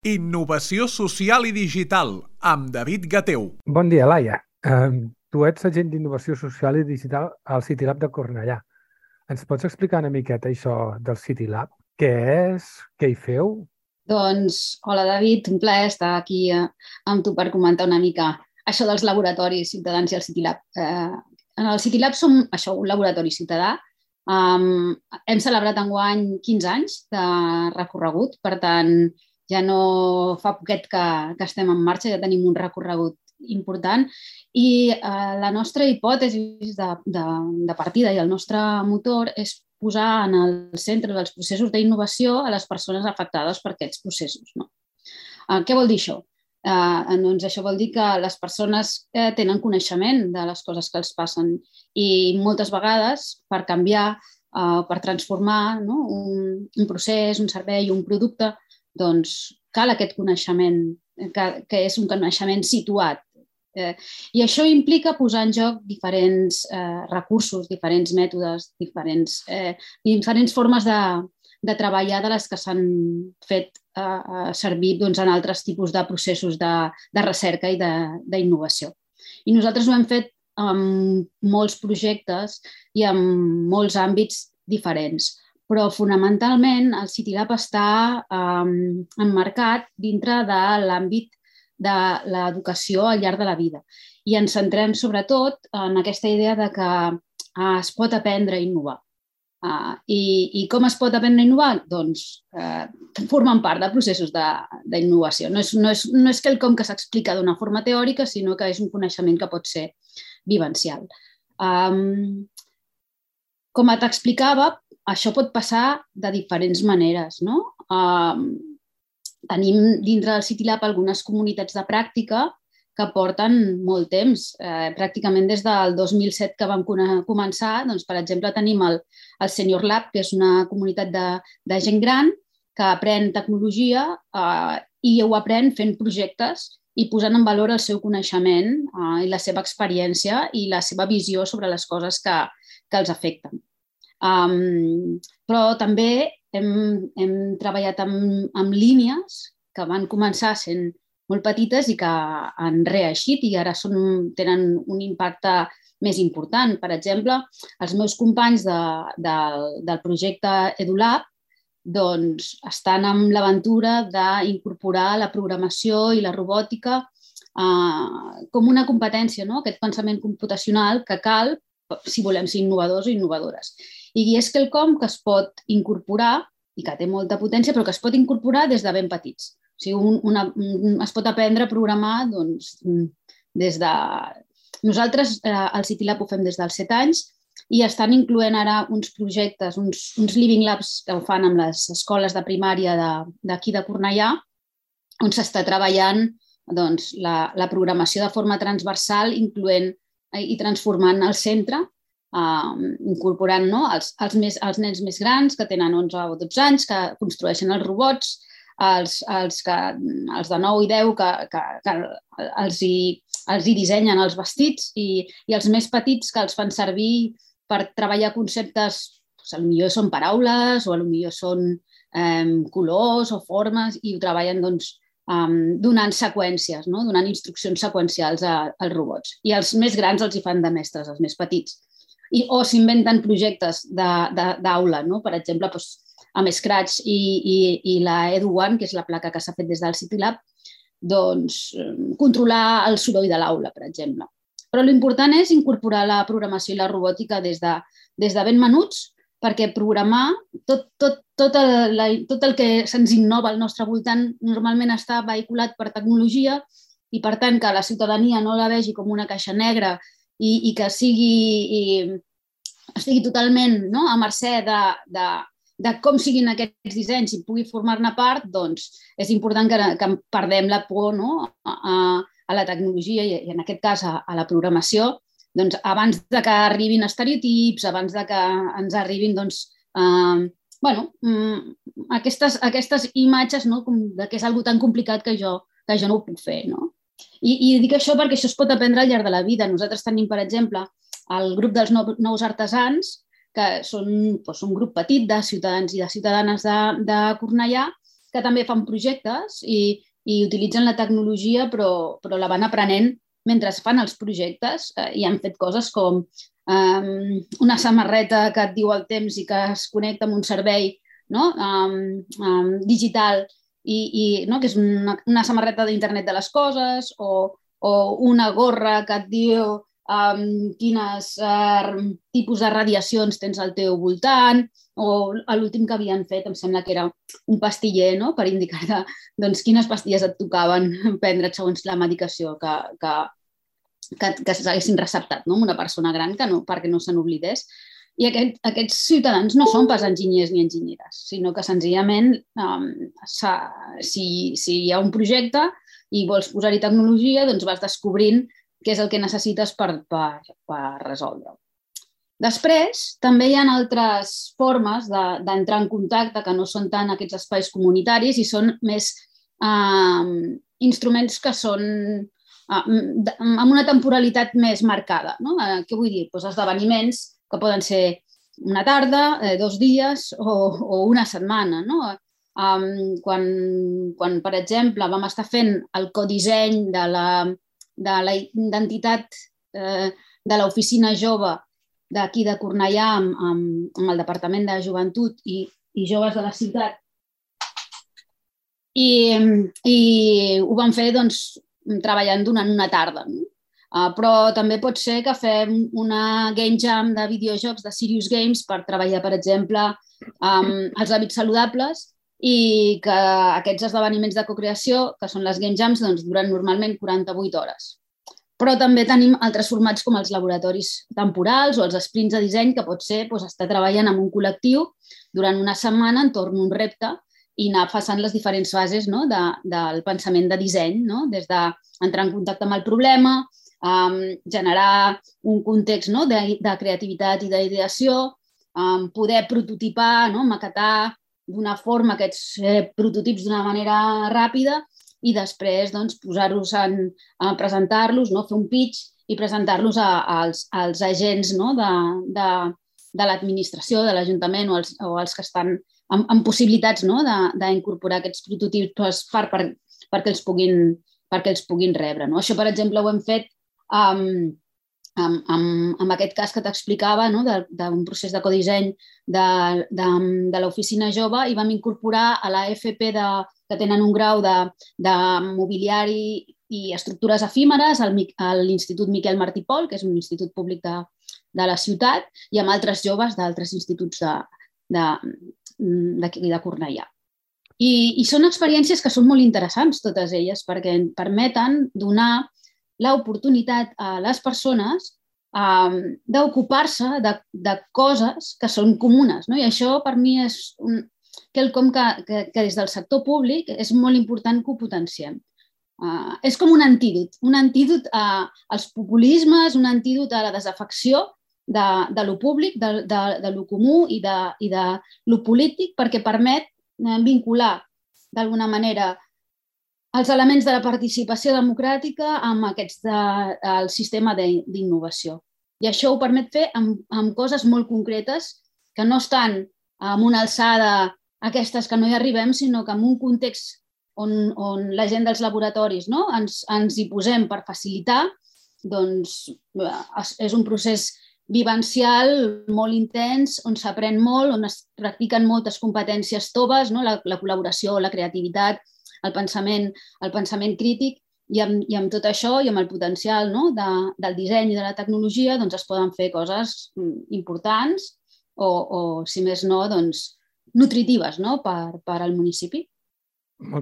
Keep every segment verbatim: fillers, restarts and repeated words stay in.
Innovació social i digital, amb David Gateu. Bon dia, Laia. Um, tu ets agent d'innovació social i digital al CityLab de Cornellà. Ens pots explicar una miqueta això del CityLab? Què és? Què hi feu? Doncs, hola David, un plaer estar aquí eh, amb tu per comentar una mica això dels laboratoris ciutadans i el CityLab. Eh, en el CityLab som això, un laboratori ciutadà. Um, hem celebrat enguany quinze anys de recorregut, per tant, ja no fa poquet que, que estem en marxa, ja tenim un recorregut important i eh, la nostra hipòtesi de, de, de partida i el nostre motor és posar en el centre dels processos d'innovació a les persones afectades per aquests processos. No? Eh, què vol dir això? Eh, doncs això vol dir que les persones eh, tenen coneixement de les coses que els passen i moltes vegades per canviar, eh, per transformar no? un, un procés, un servei, un producte, doncs cal aquest coneixement, que, que és un coneixement situat. Eh, I això implica posar en joc diferents eh, recursos, diferents mètodes, diferents, eh, diferents formes de, de treballar de les que s'han fet eh, servir doncs, en altres tipus de processos de, de recerca i d'innovació. I nosaltres ho hem fet amb molts projectes i en molts àmbits diferents. Però fonamentalment el CityLab està um, emmarcat dintre de l'àmbit de l'educació al llarg de la vida. I ens centrem sobretot en aquesta idea de que uh, es pot aprendre a innovar. Uh, i, I com es pot aprendre a innovar? Doncs uh, formen part de processos d'innovació. No és, no és, no és quelcom que s'explica d'una forma teòrica, sinó que és un coneixement que pot ser vivencial. Um, com t'explicava, això pot passar de diferents maneres. No? Uh, tenim dintre del CityLab algunes comunitats de pràctica que porten molt temps. Eh, pràcticament des del dos mil set que vam començar, doncs, per exemple, tenim el, el Senior Lab, que és una comunitat de, de gent gran que aprèn tecnologia eh, i ho aprèn fent projectes i posant en valor el seu coneixement eh, i la seva experiència i la seva visió sobre les coses que, que els afecten. Um, però també hem, hem treballat amb, amb línies que van començar sent molt petites i que han reeixit i ara són, tenen un impacte més important. Per exemple, els meus companys de, de, del projecte EduLab doncs, estan amb l'aventura d'incorporar la programació i la robòtica eh, com una competència, no? Aquest pensament computacional que cal si volem ser innovadors o innovadores. I és quelcom que es pot incorporar i que té molta potència, però que es pot incorporar des de ben petits. O sigui, un, una, un, es pot aprendre a programar doncs, des de... Nosaltres eh, al CityLab ho fem des dels set anys i estan incloent ara uns projectes, uns, uns Living Labs que ho fan amb les escoles de primària d'aquí de, de Cornellà, on s'està treballant doncs, la, la programació de forma transversal, incloent i transformant el centre, Uh, incorporant no, els, els, més, els nens més grans que tenen onze o dotze anys, que construeixen els robots, els, els, que, els de nou i deu que, que, que els, hi, els hi dissenyen els vestits i, i els més petits que els fan servir per treballar conceptes, potser són paraules o potser són um, colors o formes i ho treballen doncs, um, donant seqüències, no? Donant instruccions seqüencials a, als robots. I els més grans els hi fan de mestres, els més petits. I, o s'inventen projectes d'aula, no? Per exemple, doncs, amb Scratch i, i, i la Edu One, que és la placa que s'ha fet des del CityLab, doncs, controlar el soroll de l'aula, per exemple. Però l'important és incorporar la programació i la robòtica des de, des de ben menuts, perquè programar tot, tot, tot, el, la, tot el que se'ns innova al nostre voltant normalment està vehiculat per tecnologia i, per tant, que la ciutadania no la vegi com una caixa negra I, i que sigui, i estigui totalment no, a mercè de, de, de com siguin aquests dissenys i pugui formar-ne part, doncs és important que, que perdem la por no, a, a la tecnologia i, i en aquest cas a, a la programació, doncs, abans de que arribin estereotips, abans de que ens arribin doncs, eh, bueno, aquestes, aquestes imatges no, de que és algo tan complicat que jo, que jo no ho puc fer, no? I, I dic això perquè això es pot aprendre al llarg de la vida. Nosaltres tenim, per exemple, el grup dels nous artesans, que són doncs, un grup petit de ciutadans i de ciutadanes de, de Cornellà, que també fan projectes i, i utilitzen la tecnologia, però, però la van aprenent mentre fan els projectes eh, i han fet coses com um, una samarreta que et diu el temps i que es connecta amb un servei, no? um, um, digital, i, i, no? que és una, una samarreta d'internet de les coses, o, o una gorra que et diu um, quines uh, tipus de radiacions tens al teu voltant, o l'últim que havien fet, em sembla que era un pastiller, no? Per indicar doncs, quines pastilles et tocaven prendre segons la medicació que, que, que, que s'haguessin receptat, no? Una persona gran que no, perquè no se n'oblidés. I aquest, aquests ciutadans no són pas enginyers ni enginyeres, sinó que senzillament um, si, si hi ha un projecte i vols posar-hi tecnologia, doncs vas descobrint què és el que necessites per, per, per resoldre-ho. Després, també hi ha altres formes d'entrar en contacte que no són tant aquests espais comunitaris i són més eh, instruments que són eh, amb una temporalitat més marcada. No? Eh, què vull dir? Pues esdeveniments que poden ser una tarda, eh, dos dies o, o una setmana. No? Um, quan, quan, per exemple, vam estar fent el codisseny de la, de la identitat eh, de l'oficina jove d'aquí de Cornellà amb, amb, amb el Departament de Joventut i, i Joves de la ciutat. I, i ho vam fer doncs, treballant durant una tarda. No? Uh, però també pot ser que fem una game jam de videojocs de Serious Games per treballar, per exemple, amb els hàbits saludables i que aquests esdeveniments de cocreació, que són les game jams, doncs, duren normalment quaranta-vuit hores. Però també tenim altres formats com els laboratoris temporals o els sprints de disseny, que pot ser doncs, estar treballant amb un col·lectiu durant una setmana entorn d'un repte i anar passant les diferents fases, no? de, del pensament de disseny, no? Des d'entrar en contacte amb el problema, um, generar un context, no? de, de creativitat i d'ideació, um, poder prototipar, no? maquetar d'una forma aquests eh, prototips d'una manera ràpida, i després doncs, posar-los a presentar-los, no? Fer un pitch i presentar-los als, als agents, no? de, de, de l'administració, de l'Ajuntament o, els, o els que estan amb, amb possibilitats, no? d'incorporar aquests prototips per, per, perquè, els puguin, perquè els puguin rebre. No? Això, per exemple, ho hem fet um, amb, amb, amb aquest cas que t'explicava, no? d'un procés de codisseny de, de, de l'oficina jove, i vam incorporar a la F P de que tenen un grau de, de mobiliari i estructures efímeres a l'Institut Miquel Martí i Pol, que és un institut públic de, de la ciutat, i amb altres joves d'altres instituts de, de, de, de Cornellà. I, I són experiències que són molt interessants, totes elles, perquè permeten donar l'oportunitat a les persones um, d'ocupar-se de, de coses que són comunes. No? I això, per mi, és un, quelcom que, que, que des del sector públic és molt important que ho potenciem. Uh, és com un antídot, un antídot a, als populismes, un antídot a la desafecció de, de lo públic, de, de, de lo comú i de, i de lo polític, perquè permet vincular d'alguna manera els elements de la participació democràtica amb aquests de, el sistema d'innovació. I això ho permet fer amb, amb coses molt concretes que no estan amb una alçada aquestes que no hi arribem, sinó que en un context on, on la gent dels laboratoris, no? ens, ens hi posem per facilitar, doncs és un procés vivencial molt intens, on s'aprèn molt, on es practiquen moltes competències toves, no? la, la col·laboració, la creativitat, el pensament, el pensament crític, i amb, i amb tot això i amb el potencial, no? de, del disseny i de la tecnologia doncs es poden fer coses importants o, o si més no, doncs, nutritives, no? per, per al municipi.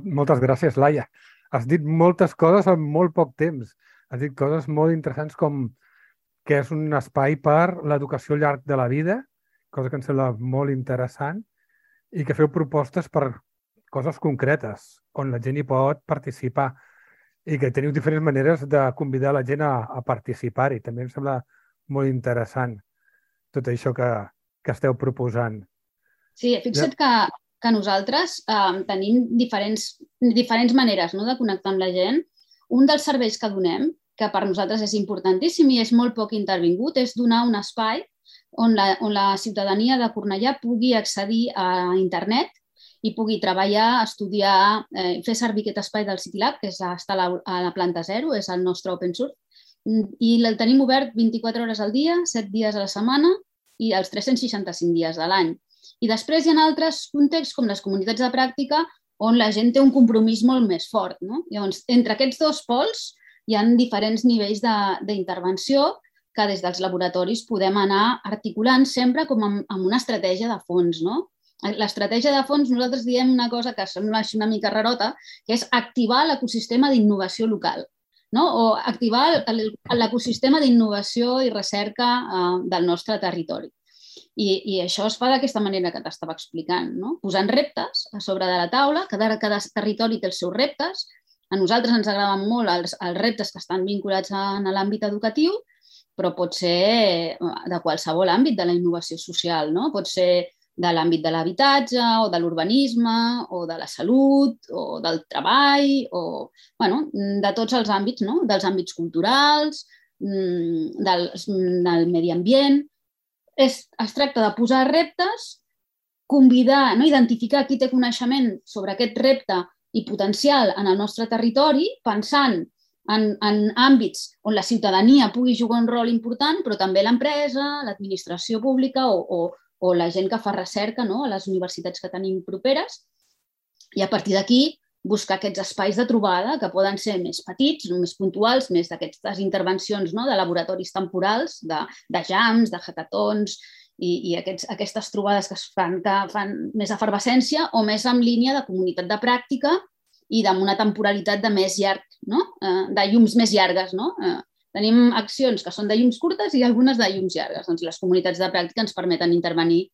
Moltes gràcies, Laia. Has dit moltes coses en molt poc temps. Has dit coses molt interessants com que és un espai per l'educació al llarg de la vida, cosa que em sembla molt interessant, i que feu propostes per coses concretes, on la gent hi pot participar i que teniu diferents maneres de convidar la gent a, a participar-hi. També em sembla molt interessant tot això que, que esteu proposant. Sí, fixa't que, que nosaltres eh, tenim diferents, diferents maneres, no? de connectar amb la gent. Un dels serveis que donem, que per nosaltres és importantíssim i és molt poc intervingut, és donar un espai on la, on la ciutadania de Cornellà pugui accedir a internet i pugui treballar, estudiar, eh, fer servir aquest espai del CityLab, que és, està a la, a la planta zero, és el nostre open source, i el tenim obert vint-i-quatre hores al dia, set dies a la setmana i els tres-cents seixanta-cinc dies de l'any. I després hi ha altres contexts, com les comunitats de pràctica, on la gent té un compromís molt més fort. No? Llavors, entre aquests dos pols hi ha diferents nivells d'intervenció que des dels laboratoris podem anar articulant sempre com amb, amb una estratègia de fons. No? L'estratègia de fons, nosaltres diem una cosa que sembla una mica rarota, que és activar l'ecosistema d'innovació local. No? O activar l'ecosistema d'innovació i recerca eh, del nostre territori. I, i això es fa d'aquesta manera que t'estava explicant, no? Posant reptes a sobre de la taula, cada, cada territori té els seus reptes. A nosaltres ens agraden molt els, els reptes que estan vinculats a, a l'àmbit educatiu, però pot ser de qualsevol àmbit de la innovació social, no? Pot ser de l'àmbit de l'habitatge o de l'urbanisme o de la salut o del treball o bueno, de tots els àmbits, no? Dels àmbits culturals, del, del medi ambient. Es, es tracta de posar reptes, convidar, no? Identificar qui té coneixement sobre aquest repte i potencial en el nostre territori, pensant en, en àmbits on la ciutadania pugui jugar un rol important, però també l'empresa, l'administració pública o, o o la gent que fa recerca, no? A les universitats que tenim properes, i a partir d'aquí buscar aquests espais de trobada que poden ser més petits, més puntuals, més d'aquestes intervencions, no? De laboratoris temporals, de, de jams, de hackathons i, i aquests, aquestes trobades que es fan, que fan més efervescència o més en línia de comunitat de pràctica i amb una temporalitat de més llarg, no? De llums més llargues, no? Tenim accions que són de llums curtes i algunes de llums llargues. Doncs les comunitats de pràctica ens permeten intervenir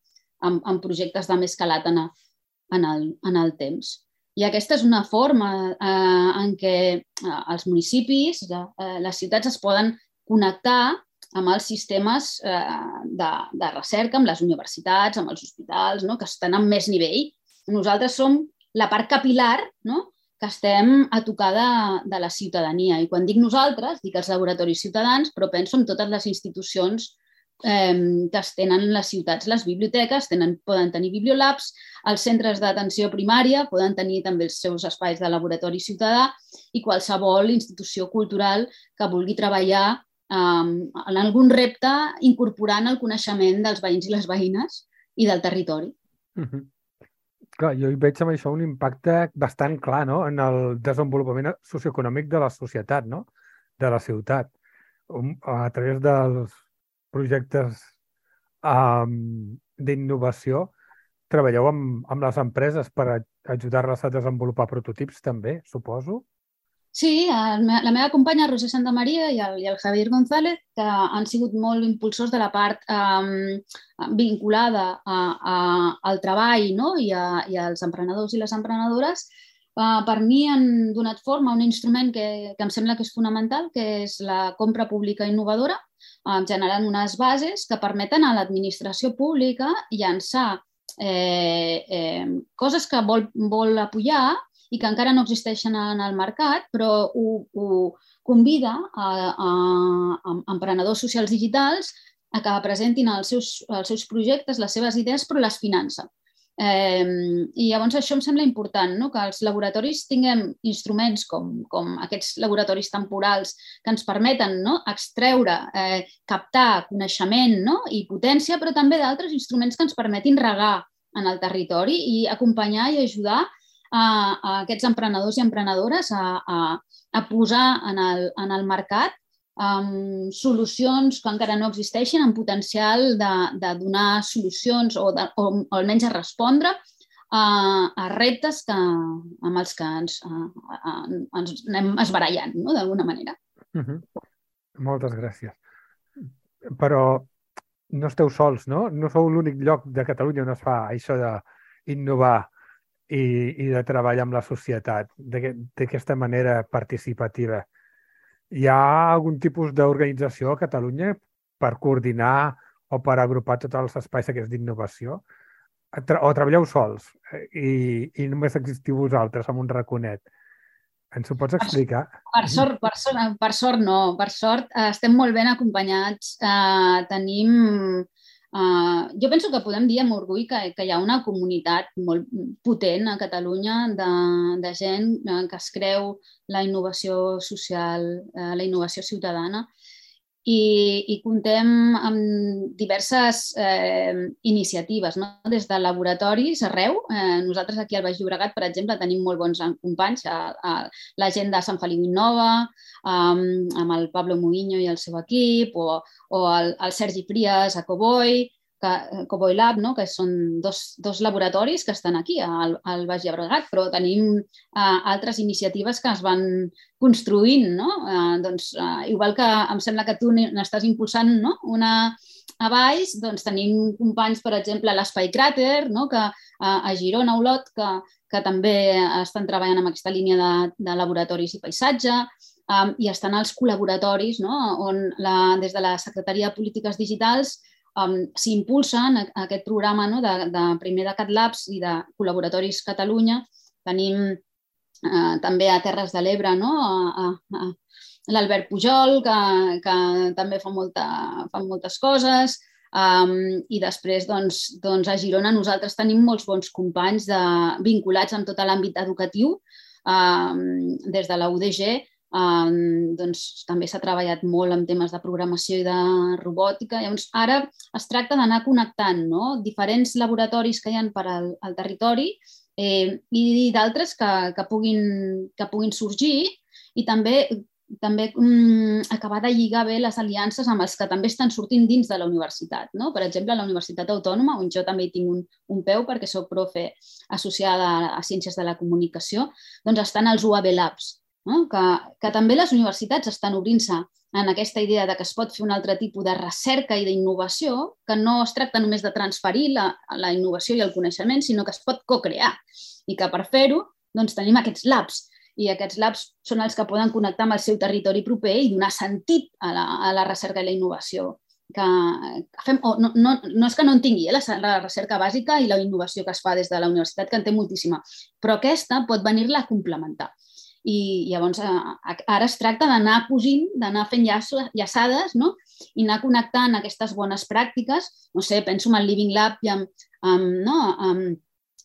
en, en projectes de més calat en, en, el, en el temps. I aquesta és una forma eh, en què eh, els municipis, eh, les ciutats es poden connectar amb els sistemes eh, de, de recerca, amb les universitats, amb els hospitals, no? Que estan en més nivell. Nosaltres som la part capil·lar, no? Que estem a tocar de, de la ciutadania. I quan dic nosaltres, dic els laboratoris ciutadans, però penso en totes les institucions eh, que es tenen les ciutats. Les biblioteques tenen, poden tenir bibliolabs, els centres d'atenció primària poden tenir també els seus espais de laboratori ciutadà i qualsevol institució cultural que vulgui treballar eh, en algun repte incorporant el coneixement dels veïns i les veïnes i del territori. Uh-huh. Clar, jo hi veig amb això un impacte bastant clar, no? En el desenvolupament socioeconòmic de la societat, no? De la ciutat. A través dels projectes um, d'innovació, treballeu amb, amb les empreses per ajudar-les a desenvolupar prototips també, suposo? Sí, la meva companya Roser Santamaria i el, i el Javier González, que han sigut molt impulsors de la part eh, vinculada a, a, al treball, no? I, a, i als emprenedors i les emprenedores, eh, per mi han donat forma a un instrument que, que em sembla que és fonamental, que és la compra pública innovadora, eh, generant unes bases que permeten a l'administració pública llançar eh, eh, coses que vol, vol apoyar i que encara no existeixen en el mercat, però ho, ho convida a, a, a emprenedors socials digitals a que presentin els seus, els seus projectes, les seves idees, però les finança. Eh, I llavors això em sembla important, no? Que els laboratoris tinguem instruments com, com aquests laboratoris temporals que ens permeten, no? Extreure, eh, captar coneixement, no? I potència, però també d'altres instruments que ens permetin regar en el territori i acompanyar i ajudar a, a aquests emprenedors i emprenedores a, a, a posar en el, en el mercat um, solucions que encara no existeixen, amb potencial de, de donar solucions o, de, o, o almenys a respondre a, a reptes que, amb els que ens, a, a, ens anem esbarallant, no? D'alguna manera. Uh-huh. Moltes gràcies. Però no esteu sols, no? No sou l'únic lloc de Catalunya on es fa això d'innovar I, i de treballar amb la societat d'aquesta manera participativa. Hi ha algun tipus d'organització a Catalunya per coordinar o per agrupar tots els espais aquests d'innovació? O treballeu sols i, i només existiu vosaltres amb un raconet? Ens ho pots explicar? Per sort, per sort, per sort no. Per sort estem molt ben acompanyats. Eh, tenim Uh, jo penso que podem dir amb orgull que, que hi ha una comunitat molt potent a Catalunya de, de gent que es creu la innovació social, uh, la innovació ciutadana, i, i comptem amb diverses eh, iniciatives, no? Des de laboratoris arreu. Eh, nosaltres aquí al Baix Llobregat, per exemple, tenim molt bons companys, a, a la gent de Sant Feliu Innova, um, amb el Pablo Muiño i el seu equip, o, o el, el Sergi Frias a Cowboy, que, Cowboy Lab, no? Que són dos, dos laboratoris que estan aquí al, al Baix Llobregat, però tenim uh, altres iniciatives que es van construint, no? Uh, doncs, uh, igual que em sembla que tu n'estàs impulsant, no? Una a baix, doncs tenim companys, per exemple, a l'Espai Cràter, no? Que uh, a Girona, a Olot, que, que també estan treballant amb aquesta línia de, de laboratoris i paisatge, um, i estan els col·laboratoris, no? On la, des de la Secretaria de Polítiques Digitals um, s'impulsen aquest programa, no? de, de primer de CatLabs i de Col·laboratoris Catalunya. Tenim uh, també a Terres de l'Ebre, no? a, a, a l'Albert Pujol, que, que també fa, molta, fa moltes coses, um, i després doncs, doncs a Girona nosaltres tenim molts bons companys de, vinculats amb tot l'àmbit educatiu, um, des de la U D G. Um, doncs, també s'ha treballat molt en temes de programació i de robòtica. Llavors, ara es tracta d'anar connectant, no? Diferents laboratoris que hi ha per al, al territori eh, i d'altres que, que, puguin, que puguin sorgir, i també també um, acabar de lligar bé les aliances amb els que també estan sortint dins de la universitat, no? Per exemple, a la Universitat Autònoma, on jo també hi tinc un, un peu perquè soc profe associada a, a Ciències de la Comunicació, doncs estan els U A B Labs, no? que, que també les universitats estan obrint-se en aquesta idea de que es pot fer un altre tipus de recerca i d'innovació, que no es tracta només de transferir la, la innovació i el coneixement, sinó que es pot co-crear, i que per fer-ho doncs, tenim aquests labs. I aquests labs són els que poden connectar amb el seu territori proper i donar sentit a la, a la recerca i la innovació. Que, que fem, oh, no, no, no és que no en tingui eh, la, la recerca bàsica i la innovació que es fa des de la universitat, que en té moltíssima, però aquesta pot venir-la a complementar. I llavors ara es tracta d'anar cosint, d'anar fent llaçades, no? I anar connectant aquestes bones pràctiques. No sé, penso en el Living Lab i amb, amb, no? amb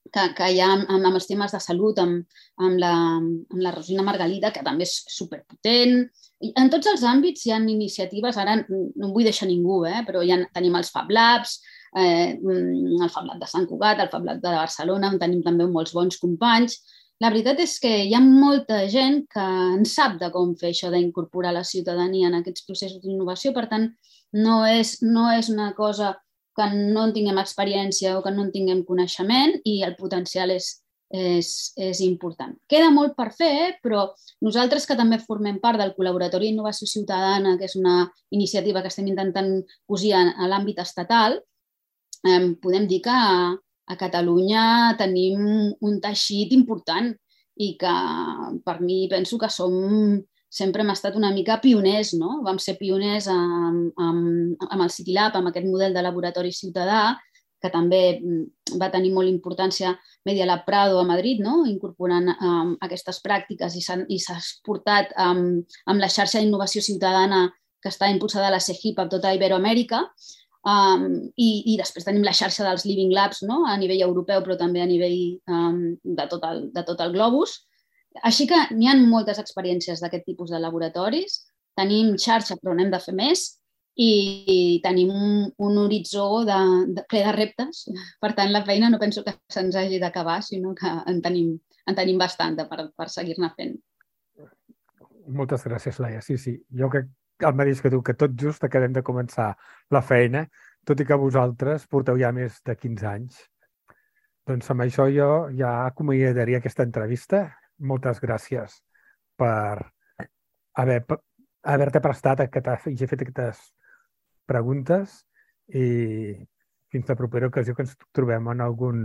Que, que hi ha amb, amb els temes de salut, amb, amb, la, amb la Rosina Margalida, que també és superpotent. I en tots els àmbits hi ha iniciatives, ara no em vull deixar ningú, eh, però ja tenim els Fab Labs, eh, el Fab Lab de Sant Cugat, el Fab Lab de Barcelona, on tenim també molts bons companys. La veritat és que hi ha molta gent que en sap de com fer això d'incorporar la ciutadania en aquests processos d'innovació, per tant, no és, no és una cosa que no en tinguem experiència o que no en tinguem coneixement, i el potencial és, és, és important. Queda molt per fer, però nosaltres que també formem part del Col·laboratori d'Innovació Ciutadana, que és una iniciativa que estem intentant cosir a l'àmbit estatal, eh, podem dir que a, a Catalunya tenim un teixit important i que per mi penso que som... sempre hem estat una mica pioners, no? Vam ser pioners amb, amb, amb el CityLab, amb aquest model de laboratori ciutadà, que també va tenir molt importància Media Lab Prado a Madrid, no? Incorporant um, aquestes pràctiques, i s'ha exportat um, amb la xarxa d'innovació ciutadana que està impulsada a la CEGIP a tota Iberoamèrica. Um, i, i després tenim la xarxa dels Living Labs, no? A nivell europeu, però també a nivell um, de, tot el, de tot el globus. Així que n'hi ha moltes experiències d'aquest tipus de laboratoris, tenim xarxa però n'hem de fer més, i tenim un, un horitzó de, de, ple de reptes. Per tant, la feina no penso que se'ns hagi d'acabar, sinó que en tenim, en tenim bastant per, per seguir-ne fent. Moltes gràcies, Laia. Sí, sí, jo crec el mateix que tu, que tot just acabem de començar la feina, tot i que vosaltres porteu ja més de quinze anys. Doncs amb això jo ja acomiadaria aquesta entrevista. Moltes gràcies per haver, haver-te prestat a que t'hagi fet aquestes preguntes, i fins la propera ocasió que ens trobem en algun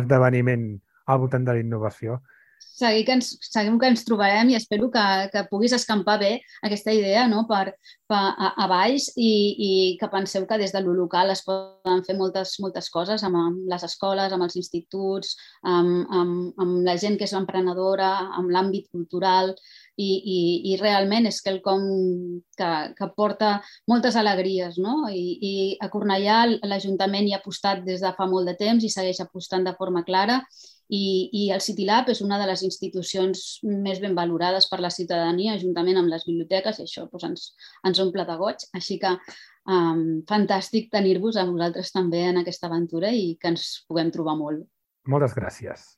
esdeveniment al voltant de la innovació. segur que ens, segur que ens trobarem i espero que, que puguis escampar bé aquesta idea, no? per, per a, a baix i, i que penseu que des de lo local es poden fer moltes, moltes coses amb, amb les escoles, amb els instituts, amb, amb, amb la gent que és emprenedora, amb l'àmbit cultural i, i, i realment és quelcom que, que porta moltes alegries. No? I, i a Cornellà l'Ajuntament hi ha apostat des de fa molt de temps i segueix apostant de forma clara. I, i el CityLab és una de les institucions més ben valorades per la ciutadania, juntament amb les biblioteques, i això doncs, ens, ens omple de goig. Així que um, fantàstic tenir-vos a vosaltres també en aquesta aventura i que ens puguem trobar molt. Moltes gràcies.